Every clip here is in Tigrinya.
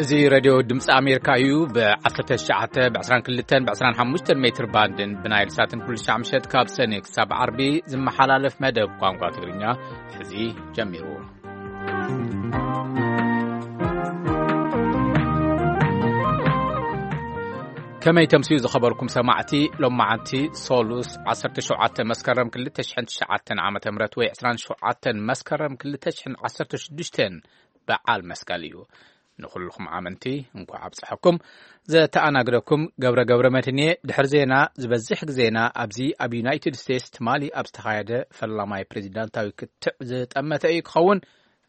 እዚ ሬድዮ ድምፂ ኣሜሪካ እዩ። ብ19፣ ብ22፣ ብ25 ሜትር ባንድን ብናይል ሳትን ኩሉ ሻዕ ምሸት ካብ ሰኔ ክሳብ ዓርቢ ዝመሓላለፍ መደብ ቋንቋ ትግርኛ ሕዚ ጀሚሩ። ከመይ ተምስዩ ዝኸበርኩም ሰማዕቲ? ሎማዓንቲ ሶሉስ 17 መስከረም 2009 ዓ.ም ወይ 27 መስከረም 2016 በዓል መስቀል እዩ። ንኹልኹም ኣመንቲ እንኳዕ ኣብፀሐኩም። ዘተኣናግደኩም ገብረ ገብረ መድህን እየ። ድሕሪ ዜና ዝበዝሕ ግዜና ኣብዚ ኣብ ዩናይትድ ስቴትስ ትማሊ ኣብ ዝተኻየደ ፈላማይ ፕሬዚዳንታዊ ክትዕ ዝጠመተ እዩ ክኸውን።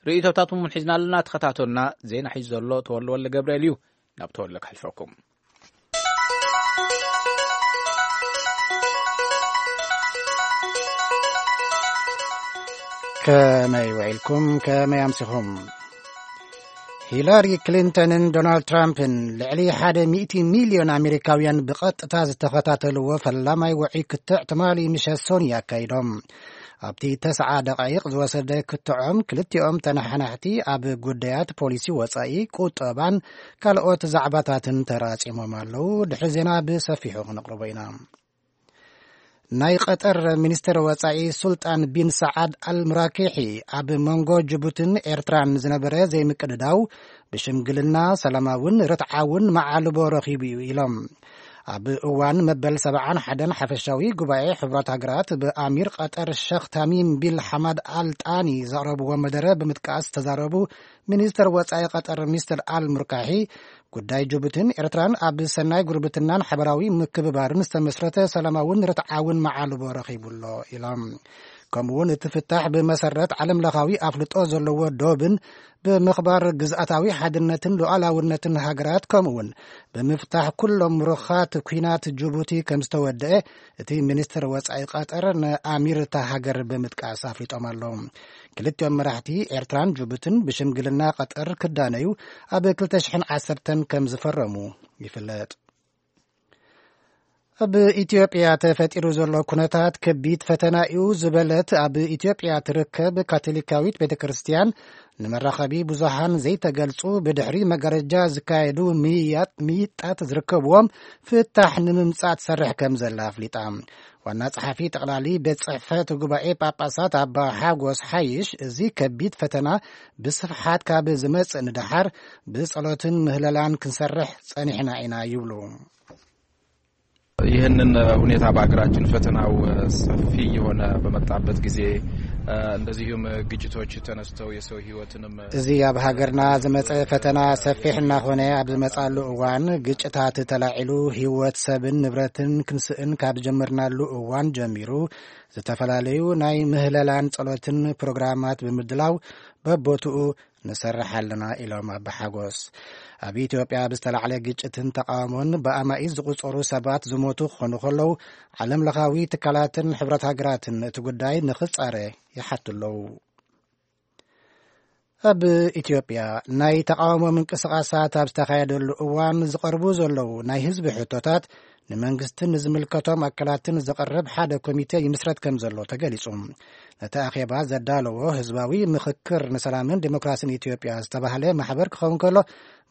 ርእይቶታትኩም እውን ሒዝና ኣለና። ተኸታተሉና። ዜና ሒዙ ዘሎ ተወልደ ወልደ ገብርኤል እዩ። ናብ ተወልደ ከሕልፈኩም። ከመይ ውዒልኩም? ከመይ ኣምሲኹም? ሂላሪ ክሊንተንን ዶናልድ ትራምፕን ልዕሊ ሓደ ሚእቲ ሚልዮን ኣሜሪካውያን ብቐጥታ ዝተኸታተልዎ ፈላማይ ውዑይ ክትዕ ትማሊ ምሸት ሶኒ ኣካይዶም። ኣብቲ ተስዓ ደቓይቕ ዝወሰደ ክትዖም ክልቲኦም ተነሓናሕቲ ኣብ ጉዳያት ፖሊሲ ወጻኢ፣ ቁጠባን ካልኦት ዛዕባታትን ተራጺሞም ኣለዉ። ድሕሪ ዜና ብሰፊሑ ክነቕርቦ ኢና። ናይ ቀጠር ሚኒስትር ወጻኢ ሱልጣን ቢን ሰዓድ ኣልሙራኪሒ ኣብ መንጎ ጅቡትን ኤርትራን ዝነበረ ዘይምቅድዳው ብሽምግልና ሰላማውን ርትዓውን መዓልቦ ረኺቡ እዩ ኢሎም። ኣብ እዋን መበል 71 ሓፈሻዊ ጉባኤ ሕቡራት ሃገራት ብኣሚር ቀጠር ሸኽ ታሚም ቢል ሓማድ ኣል ጣኒ ዘቕረብዎ መደረ ብምጥቃስ ዝተዛረቡ ሚኒስትር ወጻኢ ቀጠር ሚስተር ኣል ሙርካሒ፣ ጉዳይ ጅቡትን ኤርትራን ኣብ ሰናይ ጉርብትናን ሓበራዊ ምክብባርን ዝተመስረተ ሰላማውን ርትዓውን መዓልቦ ረኺቡ ኣሎ ኢሎም። ከምኡውን እቲ ፍታሕ ብመሰረት ዓለም ለኻዊ ኣፍልጦ ዘለዎ ዶብን ብምኽባር ግዝኣታዊ ሓድነትን ሉዓላውነትን ሃገራት፣ ከምኡውን ብምፍታሕ ኩሎም ሩኻት ኲናት ጅቡቲ ከም ዝተወደአ እቲ ሚኒስትር ወጻኢ ቀጠር ንኣሚር እታ ሃገር ብምጥቃስ ኣፍሊጦም ኣለዉ። ክልቲኦም መራሕቲ ኤርትራን ጅቡትን ብሽምግልና ቀጠር ክዳነዩ ኣብ 2010 ከም ዝፈረሙ ይፍለጥ። ኣብ ኢትዮጵያ ተፈጢሩ ዘሎ ኩነታት ከቢድ ፈተና እዩ ዝበለት ኣብ ኢትዮጵያ ትርከብ ካቶሊካዊት ቤተ ክርስቲያን፣ ንመራኸቢ ብዙሃን ዘይተገልጹ ብድሕሪ መጋረጃ ዝካየዱ ምይያጥ-፣ ምይጣት ዝርከብዎም ፍታሕ ንምምጻእ ትሰርሕ ከም ዘላ ኣፍሊጣ። ዋና ጸሓፊ ጠቕላሊ ቤት ጽሕፈት ጉባኤ ጳጳሳት ኣባ ሓጎስ ሓይሽ፣ እዚ ከቢድ ፈተና ብስፍሓት ካብ ዝመጽእ ንደሓር ብጸሎትን ምህለላን ክንሰርሕ ጸኒሕና ኢና ይብሉ። ይህንን ሁኔታ በሀገራችን ፈተናው ሰፊ የሆነ በመጣበት ጊዜ፣ እንደዚሁም ግጭቶች ተነስተው የሰው ህይወትንም እዚ ኣብ ሃገርና ዝመጸ ፈተና ሰፊሕ እናኾነ ኣብ ዝመጻሉ እዋን፣ ግጭታት ተላዒሉ ህይወት ሰብን ንብረትን ክንስእን ካብ ጀመርናሉ እዋን ጀሚሩ፣ ዝተፈላለዩ ናይ ምህለላን ጸሎትን ፕሮግራማት ብምድላው በቦትኡ ንሰርሕ ኣለና ኢሎም ኣባ ሓጎስ። ኣብ ኢትዮጵያ ብዝተላዕለ ግጭትን ተቃውሞን ብኣማኢት ዝቁጸሩ ሰባት ዝሞቱ ክኾኑ ከለዉ፣ ዓለም ለኻዊ ትካላትን ሕብረት ሃገራትን እቲ ጉዳይ ንኽጻረ ይሓቱ ኣለዉ። ኣብ ኢትዮጵያ ናይ ተቃውሞ ምንቅስቃሳት ኣብ ዝተኻየደሉ እዋን ዝቐርቡ ዘለዉ ናይ ህዝቢ ሕቶታት ንመንግስትን ንዝምልከቶም ኣካላትን ዝቐርብ ሓደ ኮሚቴ ይምስረት ከም ዘሎ ተገሊጹ። ነቲ ኣኼባ ዘዳለዎ ህዝባዊ ምኽክር ንሰላምን ዲሞክራሲን ኢትዮጵያ ዝተባህለ ማሕበር ክኸውን ከሎ፣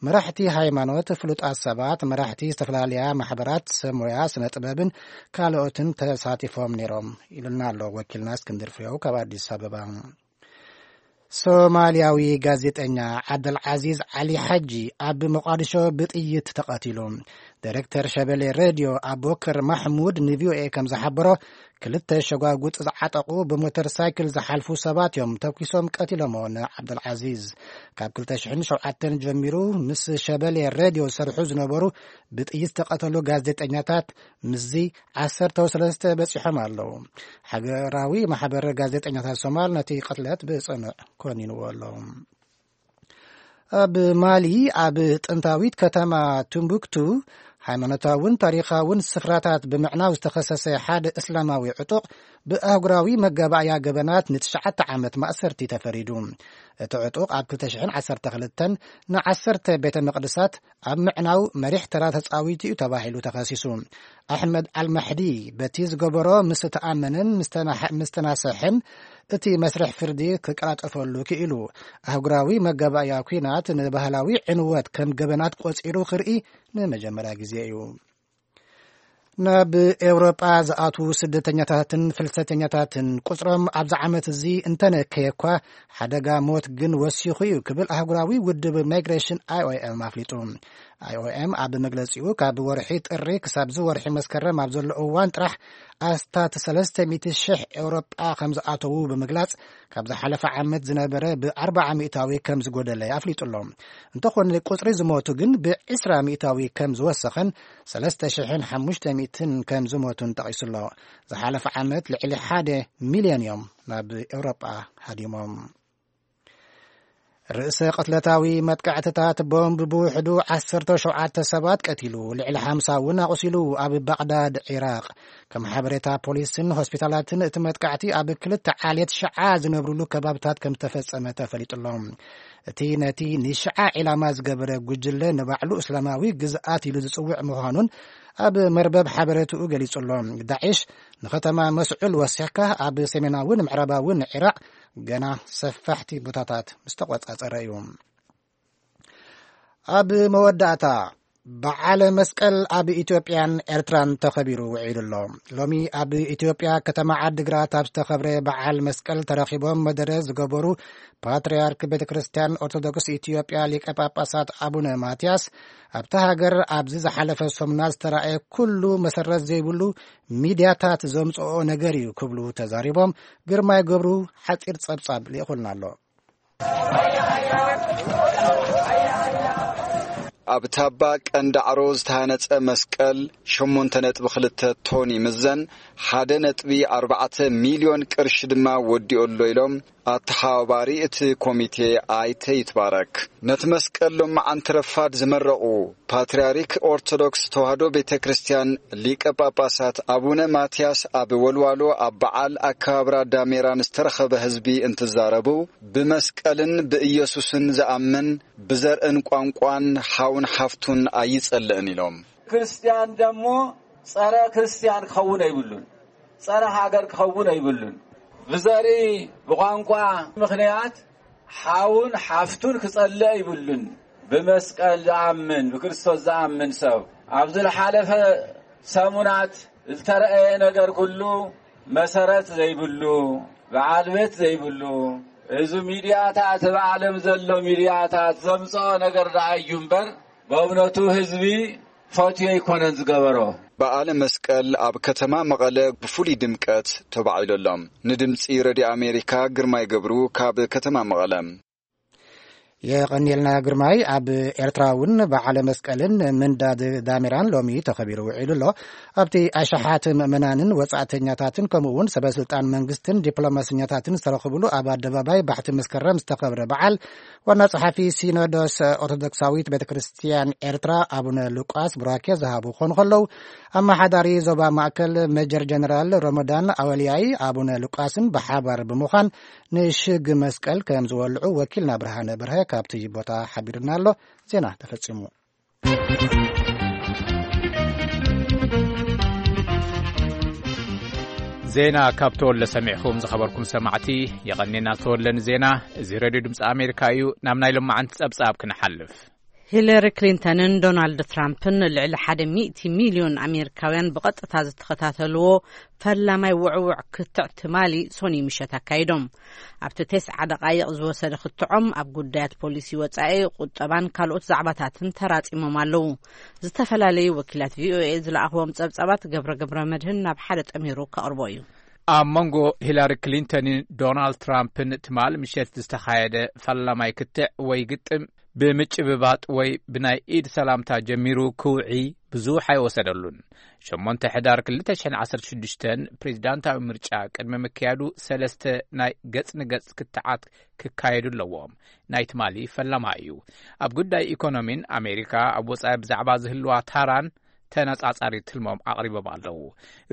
መራሕቲ ሃይማኖት፣ ፍሉጣት ሰባት፣ መራሕቲ ዝተፈላለያ ማሕበራት፣ ሰብ ሞያ፣ ስነ ጥበብን ካልኦትን ተሳቲፎም ነይሮም ኢሉና ኣሎ ወኪልና እስክንድር ፍሬው ካብ ኣዲስ ኣበባ። ሶማልያዊ ጋዜጠኛ ዓብደልዓዚዝ ዓሊ ሓጂ ኣብ መቋድሾ ብጥይት ተቐቲሉ። ዳይሬክተር ሸበሌ ሬድዮ ኣቡበከር ማሕሙድ ንቪኦኤ ከም ዝሓበሮ፣ ክልተ ሸጓጉጥ ዝዓጠቑ ብሞተር ሳይክል ዝሓልፉ ሰባት እዮም ተኩሶም ቀቲሎሞ ንዓብደልዓዚዝ። ካብ 2007 ጀሚሩ ምስ ሸበሌ ሬድዮ ዝሰርሑ ዝነበሩ ብጥይት ዝተቐተሉ ጋዜጠኛታት ምስዚ 13 በጺሖም ኣለዉ። ሃገራዊ ማሕበር ጋዜጠኛታት ሶማል ነቲ ቅትለት ብጽኑዕ ኮኒንዎ ኣሎ። ኣብ ማሊ፣ ኣብ ጥንታዊት ከተማ ቱምቡክቱ፣ ሃይማኖታውን ታሪኻውን ስፍራታት ብምዕናው ዝተኸሰሰ ሓደ እስላማዊ ዕጡቕ ብኣህጉራዊ መጋባእያ ገበናት ንትሽዓተ ዓመት ማእሰርቲ ተፈሪዱ። እቲ ዕጡቕ ኣብ 2012 ንዓሰርተ ቤተ መቕደሳት ኣብ ምዕናው መሪሕ ተራ ተጻዊቱ እዩ ተባሂሉ ተኸሲሱ። ኣሕመድ ኣልማሕዲ በቲ ዝገበሮ ምስ ተኣመነን ምስ ተናሕ-፣ ምስ ተናሰሐን እቲ መስርሕ ፍርዲ ክቀላጠፈሉ ክኢሉ። ኣህጉራዊ መጋባእያ ኲናት ንባህላዊ ዕንወት ከም ገበናት ቆጺሩ ክርኢ ንመጀመርያ ግዜ እዩ። ናብ ኤውሮጳ ዝኣትዉ ስደተኛታትን ፍልሰተኛታትን ቁጽሮም ኣብዚ ዓመት እዚ እንተነከየ እኳ፣ ሓደጋ ሞት ግን ወሲኹ እዩ ክብል ኣህጉራዊ ውድብ ማይግሬሽን፣ ኣይኦኤም፣ ኣፍሊጡ። ኣይኦኤም ኣብ መግለጺኡ፣ ካብ ወርሒ ጥሪ ክሳብ እዚ ወርሒ መስከረም ኣብ ዘሎ እዋን ጥራሕ ኣስታት ሰለስተ ሚእቲ ሽሕ ኤውሮጳ ከም ዝኣተዉ ብምግላጽ፣ ካብ ዝሓለፈ ዓመት ዝነበረ ብኣርባዓ ሚእታዊ ከም ዝጎደለ ኣፍሊጡ ኣሎ። እንተኾነ፣ ቁጽሪ ዝሞቱ ግን ብዕስራ ሚእታዊ ከም ዝወሰኸን ሰለስተ ሽሕን ሓሙሽተ ሚእትን ከም ዝሞቱን ጠቒሱ ኣሎ። ዝሓለፈ ዓመት ልዕሊ ሓደ ሚልዮን እዮም ናብ ኤውሮጳ ሃዲሞም። ርእሰ ቅትለታዊ መጥቃዕትታት ቦምብ ብውሕዱ ዓሰርተ ሸውዓተ ሰባት ቀቲሉ፣ ልዕሊ ሓምሳ እውን ኣቑሲሉ፣ ኣብ ባቕዳድ ዒራቕ። ከም ሓበሬታ ፖሊስን ሆስፒታላትን፣ እቲ መጥቃዕቲ ኣብ ክልተ ዓሌት ሽዓ ዝነብሩሉ ከባብታት ከም ዝተፈጸመ ተፈሊጡ ኣሎ። እቲ ነቲ ንሽዓ ዒላማ ዝገበረ ጉጅለ ንባዕሉ እስላማዊ ግዝኣት ኢሉ ዝጽውዕ ምዃኑን ኣብ መርበብ ሓበሬትኡ ገሊጹ ኣሎ። ዳዒሽ ንኸተማ መስዑል ወሲኽካ ኣብ ሰሜናውን ምዕራባውን ዒራቕ ገና ሰፋሕቲ ቦታታት ምስ ተቖጻጸረ እዩ። ኣብ መወዳእታ፣ በዓል መስቀል ኣብ ኢትዮጵያን ኤርትራን ተኸቢሩ ውዒሉ ኣሎ። ሎሚ ኣብ ኢትዮጵያ ከተማ ዓድግራት ኣብ ዝተኸብረ በዓል መስቀል ተረኺቦም መደረ ዝገበሩ ፓትርያርክ ቤተ ክርስቲያን ኦርቶዶክስ ኢትዮጵያ ሊቀ ጳጳሳት ኣቡነ ማትያስ፣ ኣብታ ሃገር ኣብዚ ዝሓለፈ ሰሙናት ዝተራእየ ኩሉ መሰረት ዘይብሉ ሚድያታት ዘምጽኦ ነገር እዩ ክብሉ ተዛሪቦም። ግርማይ ገብሩ ሓጺር ጸብጻብ ልኢኹልና ኣሎ። ኣብ ታባ ቀንዳዕሮ ዝተሃነጸ መስቀል ሸሞንተ ነጥቢ ክልተ ቶን ይምዘን፣ ሓደ ነጥቢ ኣርባዕተ ሚልዮን ቅርሺ ድማ ወዲኡ ኣሎ ኢሎም ኣተሓባባሪ እቲ ኮሚቴ ኣይተ ይትባረክ። ነቲ መስቀል ሎማዓንቲ ረፋድ ዝመረቑ ፓትርያርክ ኦርቶዶክስ ተዋህዶ ቤተ ክርስቲያን ሊቀ ጳጳሳት ኣቡነ ማትያስ ኣብ ወልዋሎ ኣብ በዓል ኣከባብራ ዳሜራ ንዝተረኸበ ህዝቢ እንትዛረቡ፣ ብመስቀልን ብኢየሱስን ዝኣምን ብዘርእን ቋንቋን ሓውን ሓፍቱን ኣይጸልእን ኢሎም። ክርስቲያን ደሞ ጸረ ክርስቲያን ክኸውን ኣይብሉን፣ ጸረ ሃገር ክኸውን ኣይብሉን። ብዘርኢ ብቋንቋ ምኽንያት ሓውን ሓፍቱን ክጸልእ ኣይብሉን። ብመስቀል ዝኣምን፣ ብክርስቶስ ዝኣምን ሰብ፣ ኣብዚ ዝሓለፈ ሰሙናት ዝተረኣየ ነገር ኩሉ መሰረት ዘይብሉ፣ በዓል ቤት ዘይብሉ፣ እዚ ሚድያታት፣ ኣብ ዓለም ዘሎ ሚድያታት ዘምጽኦ ነገር ደኣ እዩ እምበር፣ በእውነቱ ህዝቢ ፈትዮ ኣይኮነን ዝገበሮ። በዓለ መስቀል ኣብ ከተማ መቐለ ብፍሉይ ድምቀት ተባዒሉ ኣሎ። ንድምፂ ረድዮ ኣሜሪካ ግርማይ ገብሩ ካብ ከተማ መቐለ። የቐንየልና ግርማይ። ኣብ ኤርትራ እውን በዓለ መስቀልን ምንዳድ ዳሜራን ሎሚ ተኸቢሩ ውዒሉ ኣሎ። ኣብቲ ኣሽሓት ምእመናንን ወጻእተኛታትን ከምኡ እውን ሰበ ስልጣን መንግስትን ዲፕሎማሰኛታትን ዝተረኽብሉ ኣብ ኣደባባይ ባሕቲ መስከረም ዝተኸብረ በዓል፣ ዋና ጸሓፊ ሲኖዶስ ኦርቶዶክሳዊት ቤተ ክርስቲያን ኤርትራ ኣቡነ ሉቃስ ቡራኬ ዝሃቡ ክኾኑ ከለዉ፣ ኣመሓዳሪ ዞባ ማእከል ሜጀር ጀነራል ሮሞዳን ኣወልያይ ኣቡነ ሉቃስን ብሓባር ብምዃን ንሽግ መስቀል ከም ዝወልዑ ወኪልና ብርሃነ በርሀ ካብቲ ቦታ ሓቢሩና ኣሎ። ዜና ተፈጺሙ። ዜና ካብ ተወለ ሰሚዕኹም ዝኸበርኩም ሰማዕቲ፣ የቐኔና ተወለ ንዜና። እዚ ሬድዮ ድምፂ ኣሜሪካ እዩ። ናብ ናይ ሎማዓንቲ ጸብጻብ ክንሓልፍ። ሂለሪ ክሊንተንን ዶናልድ ትራምፕን ልዕሊ ሓደ ሚእቲ ሚልዮን ኣሜሪካውያን ብቐጥታ ዝተኸታተልዎ ፈላማይ ውዕውዕ ክትዕ ትማሊ ሶኒ ምሸት ኣካይዶም። ኣብቲ ተስዓ ደቓይቕ ዝወሰደ ክትዖም ኣብ ጉዳያት ፖሊሲ ወጻኢ፣ ቁጠባን ካልኦት ዛዕባታትን ተራጺሞም ኣለዉ። ዝተፈላለዩ ወኪላት ቪኦኤ ዝለኣኽዎም ጸብጻባት ገብረ ገብረ መድህን ናብ ሓደ ጠሚሩ ከቕርቦ እዩ። ኣብ መንጎ ሂላሪ ክሊንተንን ዶናልድ ትራምፕን ትማል ምሸት ዝተኻየደ ፈላማይ ክትዕ ወይ ግጥም ብምጭብባጥ ወይ ብናይ ኢድ ሰላምታ ጀሚሩ ክውዒ ብዙሕ ኣይወሰደሉን። ሸሞንተ ሕዳር ክልተ ሽሕን ዓሰርተ ሽዱሽተን ፕሬዚዳንታዊ ምርጫ ቅድሚ ምክያዱ ሰለስተ ናይ ገጽ ንገጽ ክትዓት ክካየዱ ኣለዎም። ናይ ትማሊ ፈላማ እዩ። ኣብ ጉዳይ ኢኮኖሚን ኣሜሪካ ኣብ ወጻኢ ብዛዕባ ዝህልዋ ታራን ተነጻጻሪ ትልሞም ኣቕሪቦም ኣለዉ።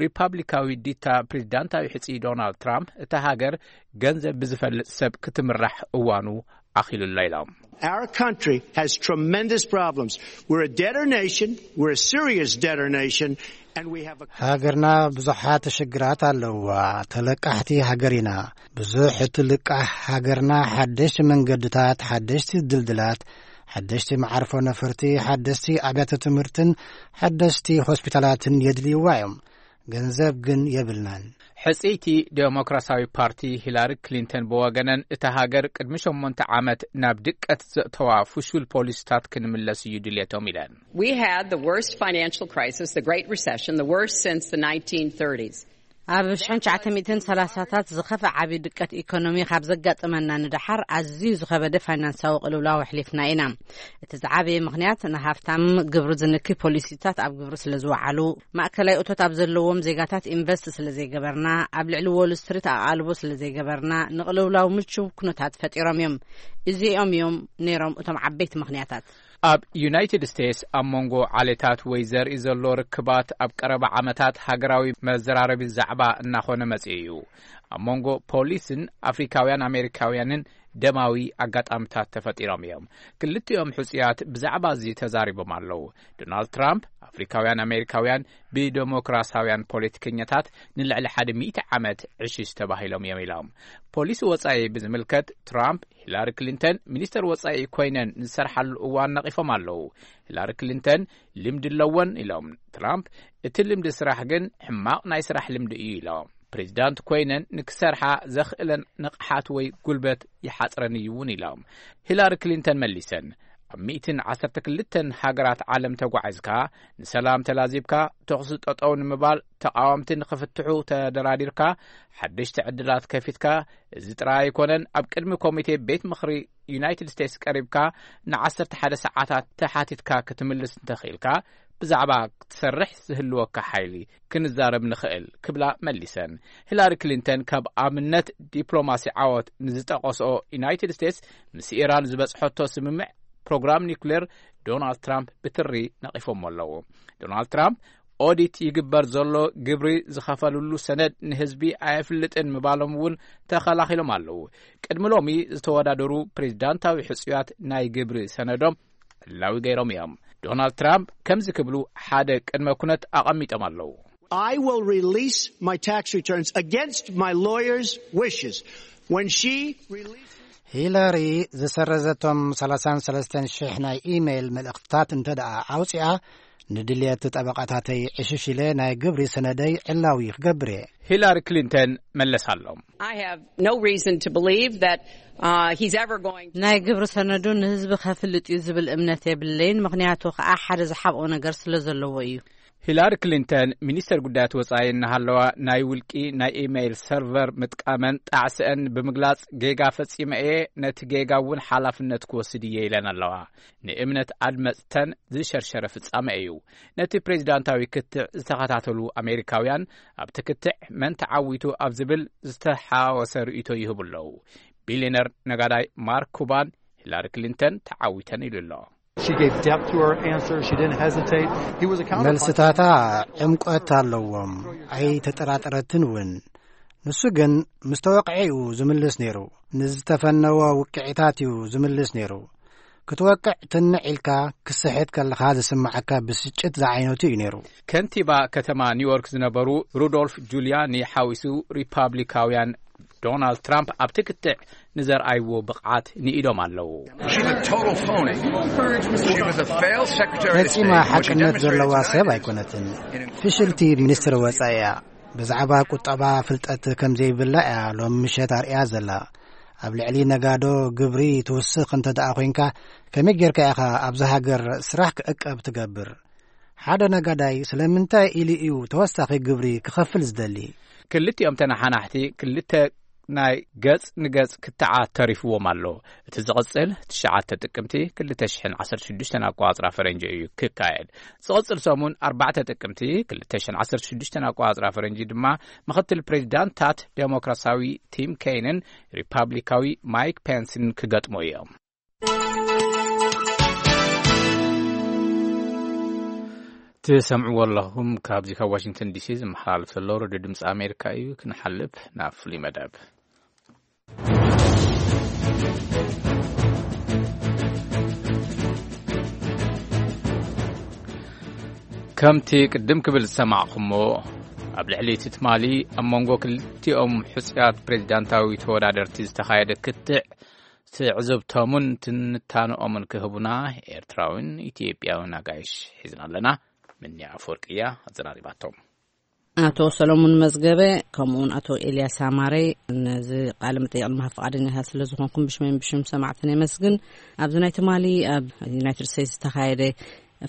ሪፓብሊካዊ ዲታ ፕሬዚዳንታዊ ሕጺ ዶናልድ ትራምፕ፣ እታ ሃገር ገንዘብ ብዝፈልጥ ሰብ ክትምራሕ እዋኑ ኣኺሉላ ኢሎም። Our country has tremendous problems. We're a debtor nation. We're a serious debtor nation. ሃገርና ብዙሓት ሽግራት ኣለዋ። ተለቃሕቲ ሃገር ኢና። ብዙሕ እቲ ልቃሕ ሃገርና ሓደሽቲ መንገድታት፣ ሓደሽቲ ድልድላት፣ ሓደሽቲ መዓርፎ ነፈርቲ፣ ሓደሽቲ ኣብያተ ትምህርትን ሓደሽቲ ሆስፒታላትን የድልይዋ እዮም። ገንዘብ ግን የብልናን። ሕጽይቲ ዴሞክራሲያዊ ፓርቲ ሂላሪ ክሊንተን ብወገነን፣ እታ ሃገር ቅድሚ ሸሞንተ ዓመት ናብ ድቀት ዘእተዋ ፍሹል ፖሊሲታት ክንምለስ እዩ ድልየቶም ኢለን። We had the worst financial crisis, the Great Recession, the worst since the nineteen thirties. ኣብ ሽሕን ትሽዓተ ሚእትን ሰላሳታት ዝኸፈ ዓቢ ድቀት ኢኮኖሚ ካብ ዘጋጠመና ንደሓር ኣዝዩ ዝኸበደ ፋይናንሳዊ ቅልውላው ኣሕሊፍና ኢና። እቲ ዝዓበየ ምኽንያት ንሃፍታም ግብሪ ዝንኪ ፖሊሲታት ኣብ ግብሪ ስለ ዝወዓሉ፣ ማእከላይ እቶት ኣብ ዘለዎም ዜጋታት ኢንቨስት ስለ ዘይገበርና፣ ኣብ ልዕሊ ዎል ስትሪት ኣቓልቦ ስለ ዘይገበርና፣ ንቕልውላው ምቹው ኩነታት ፈጢሮም እዮም። እዚኦም እዮም ነይሮም እቶም ዓበይቲ ምኽንያታት። ኣብ ዩናይትድ ስቴትስ ኣብ መንጎ ዓሌታት ወይ ዘርኢ ዘሎ ርክባት ኣብ ቀረባ ዓመታት ሃገራዊ መዘራረቢ ዛዕባ እናኾነ መጺኡ እዩ። ኣብ መንጎ ፖሊስን ኣፍሪካውያን ኣሜሪካውያንን ደማዊ ኣጋጣሚታት ተፈጢሮም እዮም። ክልቲኦም ሕጹያት ብዛዕባ እዚ ተዛሪቦም ኣለዉ። ዶናልድ ትራምፕ፣ ኣፍሪካውያን ኣሜሪካውያን ብደሞክራሲያውያን ፖለቲከኛታት ንልዕሊ ሓደ ሚእቲ ዓመት ዕሽሽ ተባሂሎም እዮም ኢሎም። ፖሊሲ ወጻኢ ብዝምልከት ትራምፕ፣ ሂላሪ ክሊንተን ሚኒስተር ወጻኢ ኮይነን ዝሰርሓሉ እዋን ነቒፎም ኣለዉ። ሂላሪ ክሊንተን ልምዲ ኣለወን ኢሎም ትራምፕ፣ እቲ ልምዲ ስራሕ ግን ሕማቕ ናይ ስራሕ ልምዲ እዩ ኢሎም። ፕሬዚዳንት ኮይነን ንክሰርሓ ዘኽእለን ንቕሓት ወይ ጉልበት ይሓጽረን እዩ እውን ኢሎም። ሂላሪ ክሊንተን መሊሰን፣ ኣብ ሚእትን ዓሰርተ ክልተን ሃገራት ዓለም ተጓዒዝካ፣ ንሰላም ተላዚብካ፣ ተኹሲ ጠጠው ንምባል፣ ተቓወምቲ ንኽፍትሑ ተደራዲርካ፣ ሓደሽቲ ዕድላት ከፊትካ፣ እዚ ጥራይ ኣይኮነን፣ ኣብ ቅድሚ ኮሚቴ ቤት ምኽሪ ዩናይትድ ስቴትስ ቀሪብካ ንዓሰርተ ሓደ ሰዓታት ተሓቲትካ ክትምልስ እንተኽኢልካ፣ ብዛዕባ ክትሰርሕ ዝህልወካ ሓይሊ ክንዛረብ ንኽእል ክብላ መሊሰን። ሂላሪ ክሊንተን ካብ ኣብነት ዲፕሎማሲ ዓወት ንዝጠቐስኦ ዩናይትድ ስቴትስ ምስ ኢራን ዝበጽሐቶ ስምምዕ ፕሮግራም ኒውክሌር ዶናልድ ትራምፕ ብትሪ ነቒፎሞ ኣለዉ። ዶናልድ ትራምፕ ኦዲት ይግበር ዘሎ ግብሪ ዝኸፈልሉ ሰነድ ንህዝቢ ኣየፍልጥን ምባሎም እውን ተኸላኺሎም ኣለዉ። ቅድሚ ሎሚ ዝተወዳደሩ ፕሬዚዳንታዊ ሕጹያት ናይ ግብሪ ሰነዶም ዕላዊ ገይሮም እዮም። ዶናልድ ትራምፕ ከምዚ ክብሉ ሓደ ቅድመ ኩነት ኣቐሚጦም ኣለዉ። I will release my tax returns against my lawyer's wishes. When she releases ሂላሪ ዝሰረዘቶም ሰላሳን ሰለስተን ሽሕ ናይ ኢሜይል መልእኽትታት እንተ ደኣ ኣውጺኣ፣ ንድልየት ጠበቓታተይ ዕሽሽ ኢለ ናይ ግብሪ ሰነደይ ዕላዊ ክገብር እየ። ሂላሪ ክሊንተን መለሳሎም። I have no reason to believe that uh, he's ever going to ናይ ግብሪ ሰነዱ ንህዝቢ ከፍልጥ እዩ ዝብል እምነት የብለይን፣ ምኽንያቱ ከኣ ሓደ ዝሓብኦ ነገር ስለ ዘለዎ እዩ። ሂላሪ ክሊንተን ሚኒስተር ጉዳያት ወጻኢ እናሃለዋ፣ ናይ ውልቂ ናይ ኢሜይል ሰርቨር ምጥቃመን ጣዕስአን ብምግላጽ፣ ጌጋ ፈጺመ እየ፣ ነቲ ጌጋ እውን ሓላፍነት ክወስድ እየ ኢለን ኣለዋ። ንእምነት ኣድመጽተን ዝሸርሸረ ፍጻመ እዩ። ነቲ ፕሬዚዳንታዊ ክትዕ ዝተኸታተሉ ኣሜሪካውያን፣ ኣብቲ ክትዕ መን ተዓዊቱ ኣብ ዝብል ዝተሓወሰ ርእይቶ ይህቡ ኣለዉ። ቢልዮነር ነጋዳይ ማርክ ኩባን፣ ሂላሪ ክሊንተን ተዓዊተን ኢሉ ኣሎ። She gave depth to her answer. She didn't hesitate. He was a counterpuncher. መልስታታ ዕምቆት ኣለዎም፣ ኣይተጠራጠረትን እውን። ንሱ ግን ምስ ተወቅዐ እዩ ዝምልስ ነይሩ። ንዝተፈነወ ውቅዒታት እዩ ዝምልስ ነይሩ። ክትወቅዕ ትንዕ ኢልካ፣ ክስሕት ከለኻ ዝስምዓካ ብስጭት ዝዓይነቱ እዩ ነይሩ። ከንቲባ ከተማ ኒውዮርክ ዝነበሩ ሩዶልፍ ጁልያኒ ሓዊሱ፣ ሪፓብሊካውያን ዶናልድ ትራምፕ ኣብቲ ክትዕ ንዘርኣይዎ ብቕዓት ንኢዶም ኣለዉ። She's a total phony. She was a failed secretary of ፈጺማ state. What she ሓቅነት ዘለዋ demonstrated ሰብ tonight ኣይኮነትን። ፍሽልቲ ሚኒስትር ወጻኢ እያ። ብዛዕባ ቁጠባ ፍልጠት ከም ዘይብላ እያ ሎም ምሸት ኣርእያ ዘላ። ኣብ ልዕሊ ነጋዶ ግብሪ ትውስኽ እንተ ደኣ ኮይንካ፣ ከመይ ጌርካ ኢኻ ኣብዛ ሃገር ስራሕ ክዕቀብ ትገብር? ሓደ ነጋዳይ ስለምንታይ ኢሉ እዩ ተወሳኺ ግብሪ ክኸፍል ዝደሊ? ክልቲኦም ተነሓናሕቲ ክልተ ናይ ገጽ ንገጽ ክትዓት ተሪፍዎም ኣሎ። እቲ ዝቕጽል ትሽዓተ ጥቅምቲ ክልተ ሽሕን ዓሰርተ ሽዱሽተን ኣቆጻጽራ ፈረንጂ እዩ ክካየድ። ዝቕጽል ሰሙን ኣርባዕተ ጥቅምቲ ክልተ ሽሕን ዓሰርተ ሽዱሽተን ኣቆጻጽራ ፈረንጂ ድማ ምኽትል ፕሬዚዳንታት ዴሞክራሲያዊ ቲም ኬይንን ሪፓብሊካዊ ማይክ ፔንስን ክገጥሙ እዮም። ትሰምዕዎ ኣለኹም። ካብዚ ካብ ዋሽንግተን ዲሲ ዝመሓላለፍ ዘሎ ሬድዮ ድምፂ ኣሜሪካ እዩ። ክንሓልፍ ናብ ፍሉይ መደብ። ከምቲ ቅድም ክብል ዝሰማዕኹሞ፣ ኣብ ልዕሊ እቲ ትማሊ ኣብ መንጎ ክልቲኦም ሕጹያት ፕሬዚዳንታዊ ተወዳደርቲ ዝተኻየደ ክትዕ ትዕዝብቶምን ትንታንኦምን ክህቡና ኤርትራዊን ኢትዮጵያዊን ኣጋይሽ ሒዝና ኣለና። ምንያ ኣፈወርቂ እያ ኣዘራሪባቶም። ኣቶ ሰሎሙን መዝገበ፣ ከምኡውን ኣቶ ኤልያስ ኣማረ፣ ነዚ ቃለ መጠይቕ ንምሃብ ፍቓደኛታት ስለ ዝኾንኩም ብሽመይን ብሽም ሰማዕትን የመስግን። ኣብዚ ናይ ትማሊ ኣብ ዩናይትድ ስቴትስ ዝተኻየደ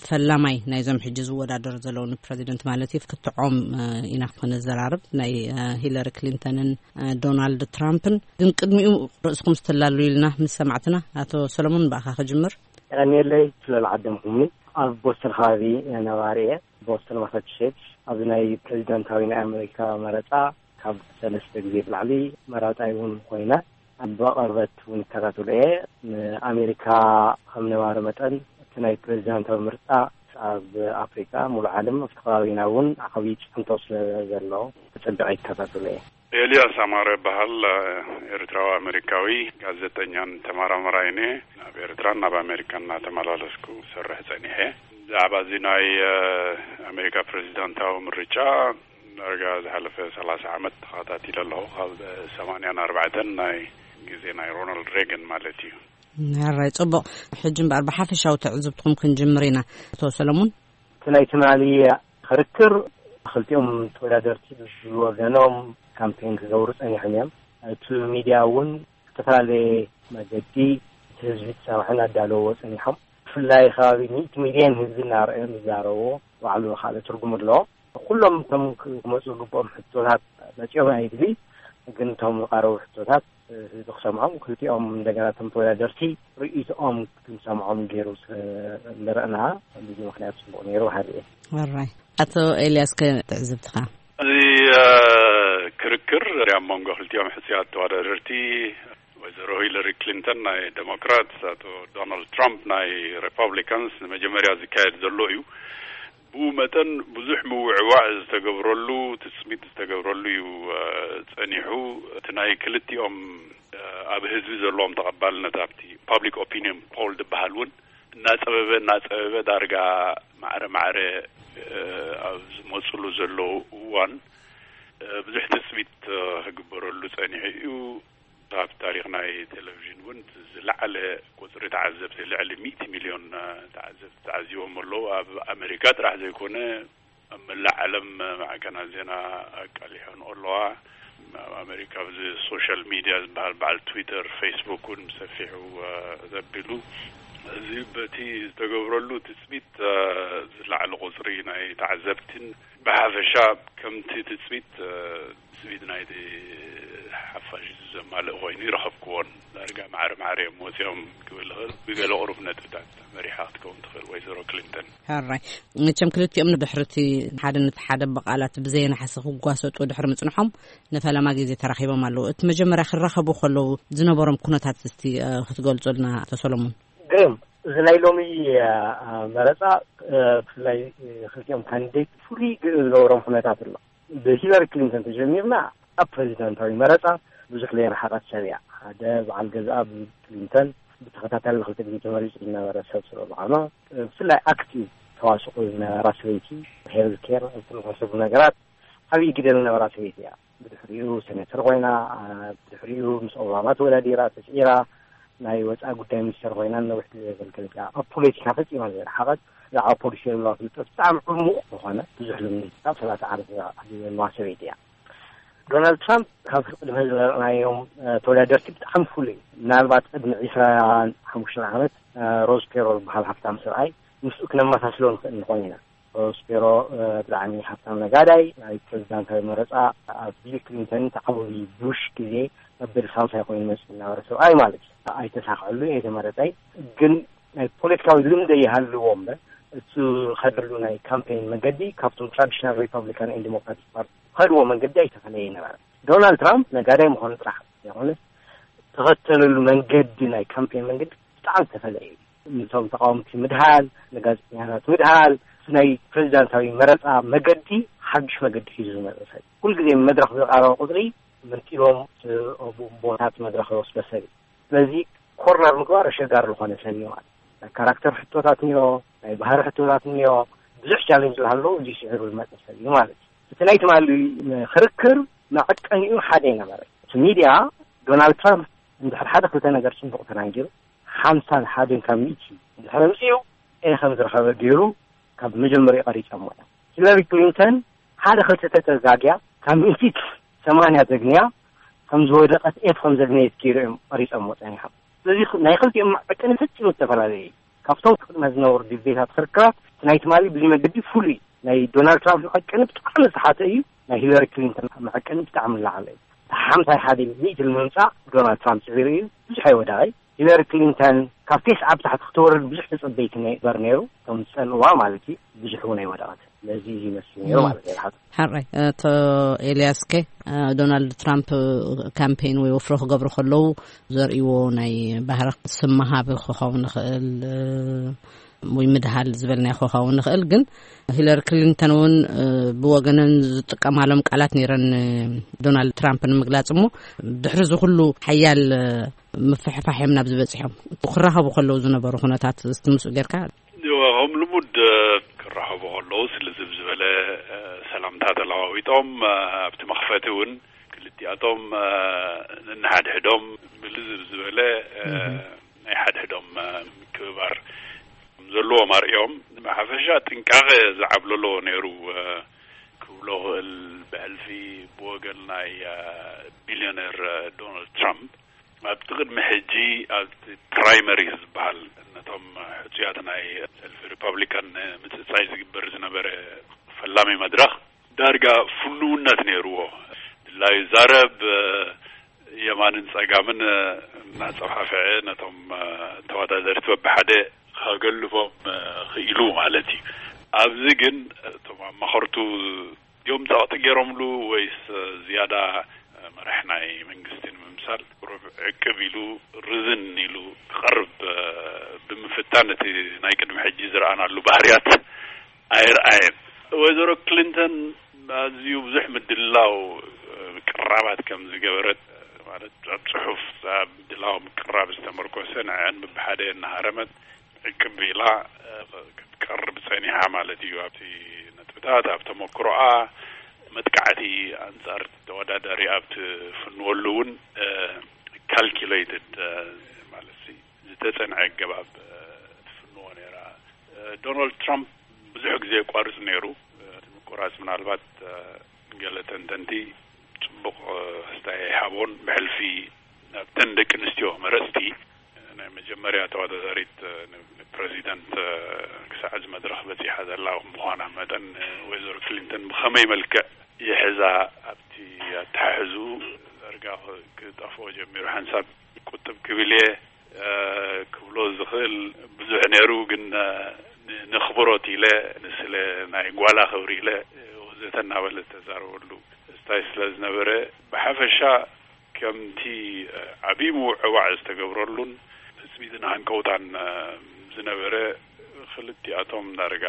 ፈላማይ ናይዞም ሕጂ ዝወዳደሩ ዘለዉ ንፕረዚደንት ማለት እዩ፣ ክትዖም፣ እ፣ ኢና ክንዘራርብ፣ ናይ፣ እ፣ ሂለሪ ክሊንተንን፣ እ፣ ዶናልድ ትራምፕን። ግን ቅድሚኡ ርእስኹም ዝተላሉ ኢልና ምስ ሰማዕትና፣ ኣቶ ሰሎሙን ብኣኻ ክጅምር። የቐንየለይ ስለ ዝዓደምኩምኒ። ኣብ ቦስተን ከባቢ ነባሪ እየ። ቦስተን ማሳቹሴትስ ኣብዚ ናይ ፕሬዚዳንታዊ ናይ ኣሜሪካ መረፃ ካብ ሰለስተ ግዜ ብላዕሊ መራፃይ እውን ኮይነ፣ ብቐርበት እውን ይከታተሎ እየ። ንኣሜሪካ ከም ነባሪ መጠን እቲ ናይ ፕሬዚዳንታዊ ምርጫ ኣብ ኣፍሪካ፣ ሙሉእ ዓለም፣ ኣብቲ ከባቢና እውን ዓብዪ ፅዕንቶ ስለ ዘሎ ተፀቢቐ ይከታተሎ እየ። ኤልያስ ኣማረ እበሃል። ኤርትራዊ ኣሜሪካዊ ጋዜጠኛን ተመራማራይን እየ። ናብ ኤርትራን ናብ ኣሜሪካን እናተመላለስኩ ሰርሕ ጸኒሐ። ብዛዕባ እዚ ናይ፣ እ፣ ኣሜሪካ ፕሬዚዳንታዊ ምርጫ ዳርጋ ዝሓለፈ ሰላሳ ዓመት ተኸታቲለ ኣለኹ። ካብ ሰማንያን ኣርባዕተን ናይ ግዜ ናይ ሮናልድ ሬገን ማለት እዩ። ሕራይ፣ ጽቡቕ። ሕጂ እምበኣር ብሓፈሻዊ ትዕዝብትኹም ክንጅምር ኢና። ኣቶ ሰለሙን። እቲ ናይ ትማሊ ክርክር፣ ክልቲኦም ተወዳደርቲ ብወገኖም ካምፔን ክገብሩ ጸኒሖም እዮም። እቲ ሚድያ እውን ዝተፈላለየ መገዲ እቲ ህዝቢ ክሰምዑ እናዳለዎ ጸኒሖም። ብፍላይ ከባቢ ሚእቲ ሚልዮን ህዝቢ እናረኣዮም ዝዛረብዎ ባዕሉ ካልእ ትርጉም ኣለዎ። ኩሎም እቶም ክመፁ ዝግብኦም ሕቶታት መፂኦም ኣይድሊ፣ ግን እቶም ዝቐረቡ ሕቶታት ህዝቢ ክሰምዖም፣ ክልቲኦም እንደገና እቶም ተወዳደርቲ ርእይቶኦም ክንሰምዖም ገይሩ ስለ ዝረእና፣ በዚ ምኽንያት ፅቡቕ ነይሩ በሃሊ እየ። ሕራይ። ኣቶ ኤልያስ ከ ትዕዝብትኻ? እዚ፣ እ፣ ክርክር ኣብ መንጎ ክልቲኦም ሕፁያት ተወዳደርቲ ወይዘሮ ሂለሪ ክሊንተን ናይ ዴሞክራት፣ ኣቶ ዶናልድ ትራምፕ ናይ ሪፐብሊካንስ ንመጀመርያ ዝካየድ ዘሎ እዩ። ብኡ መጠን ብዙሕ ምውዕዋዕ ዝተገብረሉ፣ ትፅቢት ዝተገብረሉ እዩ፣ እ፣ ጸኒሑ። እቲ ናይ ክልቲኦም፣ እ፣ ኣብ ህዝቢ ዘለዎም ተቐባልነት ኣብቲ ፓብሊክ ኦፒኒየን ፖል ዝበሃል እውን እናጸበበ፣ እናጸበበ ዳርጋ ማዕረ ማዕረ፣ እ፣ ኣብ ዝመጽሉ ዘለዉ እዋን፣ እ፣ ብዙሕ ትጽቢት፣ እ፣ ክግበረሉ ጸኒሑ እዩ። ኣብ ታሪኽ ናይ ቴሌቪዥን እውን ዝለዓለ ቁጽሪ ተዓዘብቲ፣ ልዕሊ ሚእቲ ሚልዮን፣ እ፣ ተዓዘብቲ ተዓዚቦም ኣለዉ። ኣብ ኣሜሪካ ጥራሕ ዘይኮነ፣ ኣብ መላእ ዓለም ማዕከናት ዜና ኣቃሊሖንኦ ኣለዋ። ኣብ ኣሜሪካ ኣብዚ ሶሻል ሚድያ ዝበሃል በዓል ትዊተር፣ ፌስቡክ እውን ብሰፊሑ፣ እ፣ ዘቢሉ። እዚ በቲ ዝተገብረሉ ትጽቢት፣ እ፣ ዝለዓለ ቁጽሪ ናይ ተዓዘብትን ብሓፈሻ ከምቲ ትጽቢት፣ እ፣ ትጽቢት ናይቲ ሓፋሽ ዘማልእ ኮይኑ ይረኸብክዎን። ዳርጋ ማዕረ ማዕረ እዮም ወፂኦም ክብል ይኽእል። ብገለ ቁሩብ ነጥብታት መሪሓ ክትከውን ትኽእል ወይዘሮ ክሊንተን። ሕራይ። መቸም ክልቲኦም ንድሕርቲ ሓደ ነቲ ሓደ ብቓላት ብዘየናሕሲ ክጓሰጡ ድሕሪ ምጽንሖም ንፈለማ ግዜ ተራኺቦም ኣለዉ። እቲ መጀመርያ ክራኸቡ ከለዉ ዝነበሮም ኩነታት እስቲ፣ እ፣ ክትገልጹልና ኣቶ ሰሎሞን። ግርም፣ እዚ ናይ ሎሚ፣ እ፣ መረጻ፣ እ፣ ብፍላይ፣ እ፣ ክልቲኦም ካንዲዴት ፍሉይ ግ-፣ ዝገበሮም ኩነታት ኣሎ። ብሂለሪ ክሊንተን ተጀሚርና፣ ኣብ ፕሬዚዳንታዊ መረጻ ብዙሕ ዘይረሓቐት ሰብ እያ። ሓደ በዓል ገዝኣ ቢል ክሊንተን ብተኸታታሊ ንኽልተ ግዜ ተመሪጹ ዝነበረ ሰብ ስለ ዝኾነ፣ ብፍላይ ኣክቲቭ ተዋስኦ ዝነበራ ሰበይቲ፣ ሄልዝ ኬር፣ ኣብ ዝመሳሰሉ ነገራት ዓብዪ ግደ ዝነበራ ሰበይቲ እያ። ብድሕሪኡ ሴኔተር ኮይና፣ አ፣ ብድሕሪኡ ምስ ኦባማ ተወዳዲራ፣ ተስዒራ፣ ናይ ወፃኢ ጉዳይ ሚኒስተር ኮይና ነዊሕ ግዜ ዘገልገለት እያ። ኣብ ፖለቲካ ፈጺማ ዘይረሓቐት፣ ብዛዕባ ፖሊሲ ዘለዋ ፍልጠት ብጣዕሚ ዕሙቕ ዝኾነ፣ ብዙሕ ልምዲ፣ ካብ ሰላሳ ዓመት ንላዕሊ ዘለዋ ሰበይቲ እያ። ዶናልድ ትራምፕ ካብ ቅድሚ ዝረኣናዮም፣ እ፣ ተወዳደርቲ ብጣዕሚ ፍሉይ እዩ። ምናልባት ቅድሚ ዒስራን ሓሙሽተን ዓመት፣ እ፣ ሮዝ ፔሮል ዝበሃል ሃብታም ሰብኣይ ምስኡ ክነመሳስሎ ንኽእል ንኾን ኢና። ሮዝ ፔሮ፣ እ፣ ብጣዕሚ ሃብታም ነጋዳይ፣ ናይ ፕሬዚዳንታዊ መረፃ ኣብ ቢል ክሊንተን ተዓወቢ ቡሽ ግዜ መበል ሳልሳይ ኮይኑ መፂኡ ዝነበረ ሰብኣይ ማለት እዩ። ኣይተሳኽዐሉ፣ ኣይተመረፀይ። ግን ናይ ፖለቲካዊ ልምዲ ይሃልዎ እምበር፣ እሱ ዝኸደሉ ናይ ካምፔን መገዲ ካብቶም ትራዲሽናል ሪፐብሊካን ኤንድ ዲሞክራቲክ ፓርቲ ዝኸድዎ መንገዲ ኣይተፈለየ ነበረ። ዶናልድ ትራምፕ ነጋዳይ ምዃኑ ጥራሕ ዘይኮነ፣ ተኸተለሉ መንገዲ፣ ናይ ካምፔን መንገዲ ብጣዕሚ ዝተፈለየ እዩ። ነቶም ተቃወምቲ ምድሃል፣ ንጋዜጠኛታት ምድሃል፣ ናይ ፕሬዚዳንታዊ መረፃ መገዲ ሓዱሽ መገዲ ሒዙ ዝመፀ ሰብ። ኩልግዜ መድረኽ ዝቐረበ ቁፅሪ መንጢሎም ቦታት መድረኽ ዝወስደ ሰብ እዩ። ስለዚ ኮርነር ምግባር ኣሸጋሪ ዝኾነ ሰብ እዩ ማለት እዩ። ናይ ካራክተር ሕቶታት እኒኦ፣ ናይ ባህሪ ሕቶታት እኒኦ። ብዙሕ ቻሌንጅ ዝሃለዉ እዚ ስዒሩ ዝመፀ ሰብ እዩ ማለት እዩ። እቲ ናይ ትማሊ ክርክር መዐቀኒኡ ሓደ ይነበረ። እቲ ሚድያ ዶናልድ ትራምፕ እንድሕር ሓደ ክልተ ነገር ፅቡቕ ተናጊሩ ሓምሳን ሓደን ካብ ሚእቲ እንድሕር ኣምፅኡ ኤ ከም ዝረኸበ ገይሩ ካብ መጀመሪያ ቀሪፀሞ እዮም። ሂለሪ ክሊንተን ሓደ ክልተ ተተዛግያ ካብ ሚእቲ ሰማንያ ዘግንያ ከም ዝወደቐት ኤፍ ከም ዘግነየት ገይሩ እዮም ቀሪፀሞ ፀኒሖም። ስለዚ ናይ ክልቲኦም መዐቀኒ ፍጹም ዝተፈላለየ እዩ። ካብቶም ቅድመ ዝነበሩ ዲቤታት ክርክራት እቲ ናይ ትማሊ ብዚ መገዲ ፍሉይ ናይ ዶናልድ ትራምፕ መዐቀኒ ብጣዕሚ ዝተሓተ እዩ። ናይ ሂለሪ ክሊንተን መዐቀኒ ብጣዕሚ ዝለዓለ እዩ። ሓምሳይ ሓደ ሚእቲ ንምምፃእ ዶናልድ ትራምፕ ፅዒሩ እዩ። ብዙሕ ኣይወደቐይ። ሂለሪ ክሊንተን ካብ ቴስዓ ብታሕቲ ክትወርድ ብዙሕ ተፀበይቲ ነበር ነይሩ። ከም ዝፀልዋ ማለት እዩ። ብዙሕ እውን ኣይወደቐት። ስለዚ ይመስል ነይሩ ማለት እዩ። ሓራይ ኣቶ ኤልያስከ ዶናልድ ትራምፕ ካምፔን ወይ ወፍሮ ክገብሩ ከለዉ ዘርእዎ ናይ ባህሪ ስም ምሃብ ክኸውን ይኽእል ወይ ምድሃል ዝበልናዮ ክኸውን ይኽእል። ግን ሂለሪ ክሊንተን እውን ብወገነን ዝጥቀማሎም ቃላት ነይረን ዶናልድ ትራምፕ ንምግላፅ እሞ ድሕሪ እዚ ኩሉ ሓያል ምፍሕፋሕ እዮም ናብዚ በፂሖም። ክራኸቡ ከለዉ ዝነበሩ ኩነታት እስቲ ምስኡ ጌርካ ከም ልሙድ ክራኸቡ ከለዉ ስልዝብ ዝበለ ሰላምታ ተለዋዊጦም ኣብቲ መኽፈቲ እውን ክልቲኣቶም ንንሓድሕዶም ብልዝብ ዝበለ ናይ ሓድሕዶም ምክብባር ዘለዎም ኣርእዮም። ብሓፈሻ ጥንቃቐ ዝዓብለሎ ነይሩ ክብሎ ክእል። ብሕልፊ ብወገን ናይ ቢልዮነር ዶናልድ ትራምፕ ኣብቲ ቅድሚ ሕጂ ኣብቲ ፕራይመሪ ዝበሃል ነቶም ሕፁያት ናይ ሰልፊ ሪፐብሊካን ምፅፃይ ዝግበር ዝነበረ ፈላሚ መድረኽ ዳርጋ ፍኑውነት ነይርዎ። ድላዩ ዛረብ የማንን ፀጋምን እናፀፋፍዐ ነቶም ተወዳደርቲ በብሓደ ከገልፎም ክኢሉ ማለት እዩ። ኣብዚ ግን እቶም ኣማኸርቱ እዮም ጸቕጢ ገይሮምሉ ወይስ ዝያዳ መራሕ ናይ መንግስቲ ንምምሳል ቁሩብ ዕቅብ ኢሉ ርዝን ኢሉ ክቐርብ ብምፍታን እቲ ናይ ቅድሚ ሕጂ ዝረኣናሉ ባህርያት ኣይረኣየን። ወይዘሮ ክሊንተን ኣዝዩ ብዙሕ ምድላው ቅራባት ከም ዝገበረት ማለት ኣብ ጽሑፍ ኣብ ምድላው ምቅራብ ዝተመርኮሰ ንዐን ብብሓደ እናሃረመት ዕቅብ ኢላ ክትቀርብ ጸኒሓ ማለት እዩ። ኣብቲ ነጥብታት ኣብ ተመክሮኣ መጥቃዕቲ ኣንጻር ተወዳዳሪ ኣብ ትፍንወሉ እውን ካልኪሌትድ ማለት ዝተጸንዐ ኣገባብ ትፍንዎ ነይራ። ዶናልድ ትራምፕ ብዙሕ ግዜ የቋርጽ ነይሩ። እቲ ምቁራጽ ምናልባት ገለ ተንተንቲ ጽቡቕ ኣስተያየት ይሃቦን ብሕልፊ ናብተን ደቂ ኣንስትዮ መረጽቲ ናይ መጀመርያ ተወዳዳሪት ንፕረዚደንት ክሳዕ እዚ መድረኽ በጺሓ ዘላ ምዃና መጠን ወይዘሮ ክሊንተን ብኸመይ መልክዕ ይሕዛ ኣብቲ ኣተሓሕዝኡ ዳርጋ ክጠፍኦ ጀሚሩ ሓንሳብ ቁጥብ ክብል እየ ክብሎ ዝኽእል ብዙሕ ነይሩ፣ ግን ንኽብሮት ኢለ ንስለ ናይ ጓላ ክብሪ ኢለ ወዘተ እናበለ ዝተዛረበሉ ስታይ ስለ ዝነበረ ብሓፈሻ ከምቲ ዓብዪ ምውዕዋዕ ዝተገብረሉን ትፅቢትን ሃንቀውታን ዝነበረ ክልቲኣቶም ዳርጋ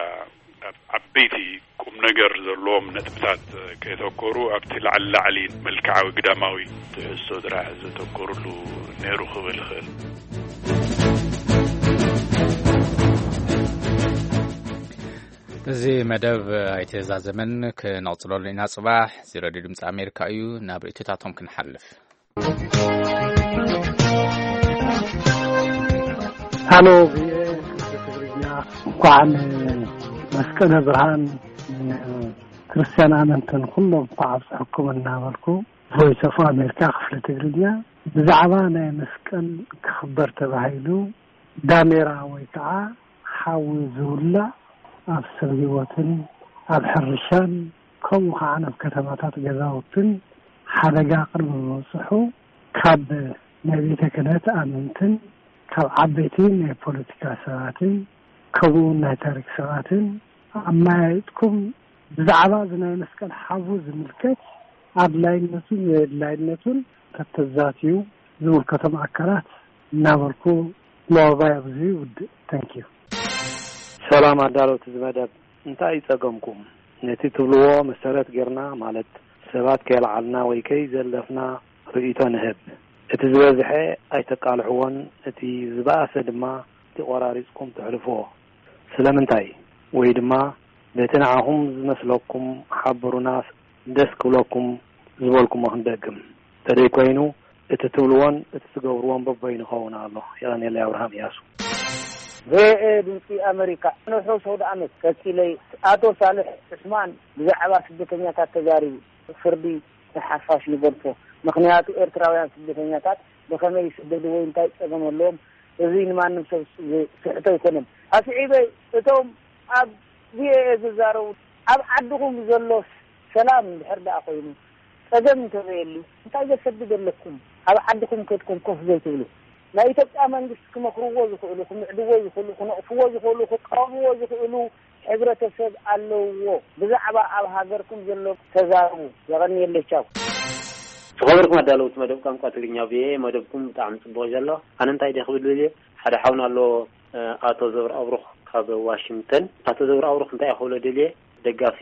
ኣብ ዓበይቲ ቁም ነገር ዘለዎም ነጥብታት ከየተኮሩ ኣብቲ ላዕሊ ላዕሊ መልክዓዊ ግዳማዊ ትሕዝቶ ጥራሕ ዘተኮርሉ ነይሩ ክብል ይኽእል። እዚ መደብ ኣይተዛዘመን፣ ክነቕፅለሉ ኢና ፅባሕ። እዚ ሬድዮ ድምፂ ኣሜሪካ እዩ። ናብ ርእይቶታቶም ክንሓልፍ። ሃሎ ቪኦኤ ትግርኛ፣ እንኳዕ ንመስቀለ ብርሃን ክርስቲያን ኣመንትን ኩሎም እንኳዕ ኣብፀሐኩም እናበልኩ፣ ቮይስ ኦፍ ኣሜሪካ ክፍሊ ትግርኛ ብዛዕባ ናይ መስቀል ክኽበር ተባሂሉ ዳሜራ ወይ ከዓ ሓዊ ዝውላዕ ኣብ ሰብ ህይወትን ኣብ ሕርሻን ከምኡ ከዓ ናብ ከተማታት ገዛውትን ሓደጋ ቅድሚ ምብፅሑ ካብ ናይ ቤተ ክህነት ኣመንትን ካብ ዓበይቲ ናይ ፖለቲካ ሰባትን ከምኡ እውን ናይ ታሪክ ሰባትን ኣመያይጥኩም ብዛዕባ እዚ ናይ መስቀል ሓዊ ዝምልከት ኣድላይነቱን ዘየድላይነቱን ተተዛትዩ ዝምልከቶም ኣካላት እናበልኩ መወባይ ኣብዚ ይውድእ። Thank you። ሰላም ኣዳለውቲ እዚ መደብ፣ እንታይ እዩ ጸገምኩም? ነቲ ትብልዎ መሰረት ጌርና፣ ማለት ሰባት ከየልዓልና ወይ ከይዘለፍና ርእይቶ ንህብ። እቲ ዝበዝሐ ኣይተቃልሕዎን፣ እቲ ዝበኣሰ ድማ እቲ ቆራሪጽኩም ተሕልፍዎ። ስለምንታይ? ወይ ድማ በቲ ንዓኹም ዝመስለኩም ሓብሩና፣ ደስ ክብለኩም ዝበልኩሞ ክንደግም። ተደይ ኮይኑ እቲ ትብልዎን እቲ ትገብርዎን በበይኑ ይኸውን ኣሎ። የቐንየለይ። ኣብርሃም እያሱ። ቪኦኤ ድምፂ ኣመሪካ። ንሑ ሰውዲ ኣመት ቀፂለይ፣ ኣቶ ሳልሕ ዑስማን ብዛዕባ ስደተኛታት ተዛሪቡ፣ ፍርዲ ንሓፋሽ ንገድፎ። ምኽንያቱ ኤርትራውያን ስደተኛታት ብኸመይ ይስደዱ ወይ እንታይ ጸገም ኣለዎም፣ እዚ ንማንም ሰብ ዝስሕቶ ኣይኮነን። ኣስዒበ፣ እቶም ኣብ ቪኦኤ ዝዛረቡ፣ ኣብ ዓድኹም ዘሎ ሰላም እንድሕር ደኣ ኮይኑ፣ ጸገም እንተዘየሉ፣ እንታይ ዘሰድድ ኣለኩም? ኣብ ዓድኹም ከድኩም ኮፍ ዘይትብሉ? ናይ ኢትዮጵያ መንግስቲ ክመኽርዎ ዝኽእሉ፣ ክምዕድዎ ዝኽእሉ፣ ክነቕፍዎ ዝኽእሉ፣ ክቃወምዎ ዝኽእሉ ሕብረተሰብ ኣለዎ። ብዛዕባ ኣብ ሃገርኩም ዘሎ ተዛረቡ። የቐንየለይ። ቻው። ዝኸበርኩም ኣዳለውቲ መደብ ቋንቋ ትግርኛ ቪኦኤ፣ መደብኩም ብጣዕሚ ጽቡቕ ዘሎ። ኣነ እንታይ ድየ ክብል ደልየ፣ ሓደ ሓውና ኣሎ፣ እ፣ ኣቶ ዘብር ኣብሩኽ ካብ ዋሽንግተን። ኣቶ ዘብር ኣብሩኽ እንታይ እየ ክብሎ ደልየ፣ ደጋፊ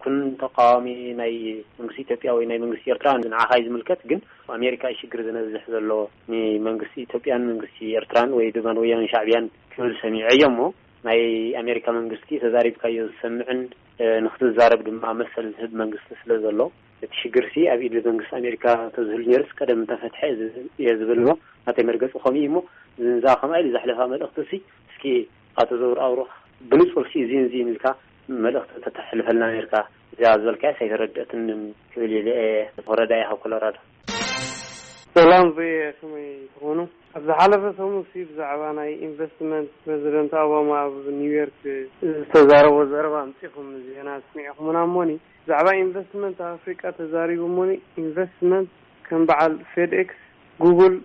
ኩን ተቃዋሚ ናይ መንግስቲ ኢትዮጵያ ወይ ናይ መንግስቲ ኤርትራ ንዓኻ እዩ ዝምልከት፣ ግን ኣሜሪካ እዩ ሽግር ዝነዝሕ ዘሎ ንመንግስቲ ኢትዮጵያን መንግስቲ ኤርትራን ወይ ድማ ንወያነ ሻዕብያን ክብል ሰሚዐዮ እሞ፣ ናይ ኣሜሪካ መንግስቲ ተዛሪብካዮ ዝሰምዕን፣ እ፣ ንክትዛረብ ድማ መሰል ዝህብ መንግስቲ ስለ ዘሎ፣ እቲ ሽግርሲ ኣብ ኢድ መንግስቲ ኣሜሪካ ተዝህሉ ነይሩስ ቀደም እንተፈትሐ እየ ዝብል እሞ፣ ናተይ መርገፂ ከምኡ እዩ እሞ፣ እዛ ከምኣ ኢሉ ዘሕለፋ መልእኽቲ ሲ እስኪ ኣቶ ዘውር ኣውሮኽ ብንጹር ሲ እዚን እዚን ኢልካ መልእኽቲ ተተሕልፈልና ነርካ፣ እዚኣ ዝበልካያስ ኣይተረድአትንን ክብል ኢለ እየ። ወረዳ እየ ካብ ኮሎራዶ። ሰላም ቪኦኤ፣ ከመይ ትኾኑ? ኣብ ዝሓለፈ ሰሙን ሲ ብዛዕባ ናይ ኢንቨስትመንት ፕረዚደንት ኦባማ ኣብ ኒውዮርክ ዝተዛረቦ ዘረባ ኣምጺኹም ዜና ኣስሚዕኹምና እሞኒ፣ ብዛዕባ ኢንቨስትመንት ኣብ ኣፍሪቃ ተዛሪቡ እሞኒ፣ ኢንቨስትመንት ከም በዓል ፌድኤክስ፣ ጉግል፣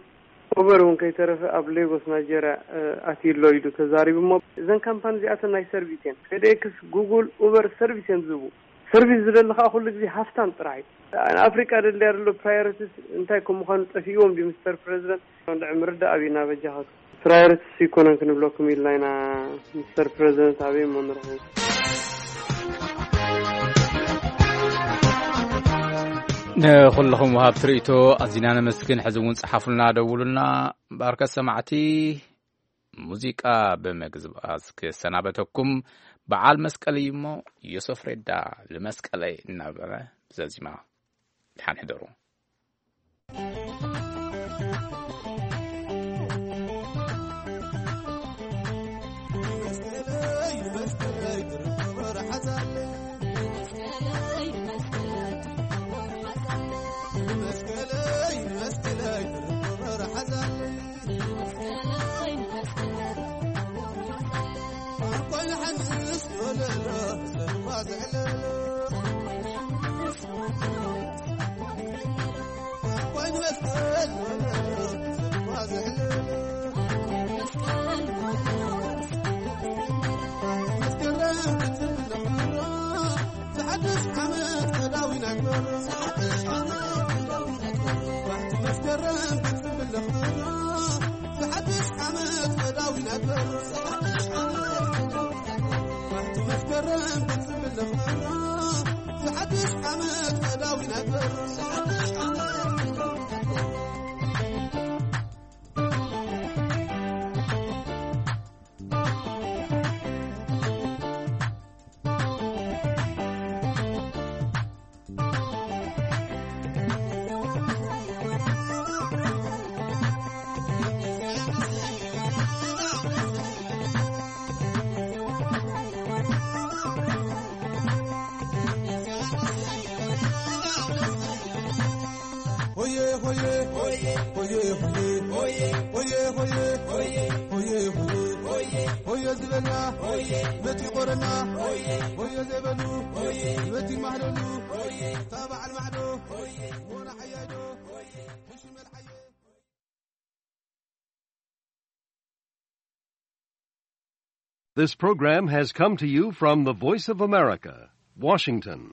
ኡበር እውን ከይተረፈ ኣብ ሌጎስ ናይጀርያ፣ እ፣ ኣትዩ ኣሎ ኢሉ ተዛሪቡ እሞ፣ እዘን ካምፓኒ እዚኣተን ናይ ሰርቪስ እየን። ፌድኤክስ፣ ጉግል፣ ኡበር ሰርቪስ እዮም ዝህቡ። ሰርቪስ ዝደሊ ከዓ ኩሉ ግዜ ሃፍታም ጥራሕ እዩ። ንኣፍሪቃ ደልያ ዘሎ ፕራዮሪቲስ እንታይ ከም ምዃኑ ጠፊእዎም ድዩ ሚስተር ፕረዚደንት? እንድዒ ምርዳእ ኣብዩና በጃኻት። ፕራዮሪቲስ ኣይኮነን ክንብለኩም ኢልና ኢና ሚስተር ፕረዚደንት፣ ኣበይ እሞ ንረኽቦ? ንኹልኹም ወሃብቲ ርእይቶ ኣዚና ነመስግን። ሕዚ እውን ጸሓፉልና፣ ደውሉልና። ባርከት ሰማዕቲ፣ ሙዚቃ ብምግባዝ ክሰናበተኩም። በዓል መስቀል እዩ እሞ፣ ዮሰፍ ሬዳ ልመስቀለይ እናበለ ዘዚማ። ደሓን ሕደሩ። This program has come to you from the Voice of America, Washington.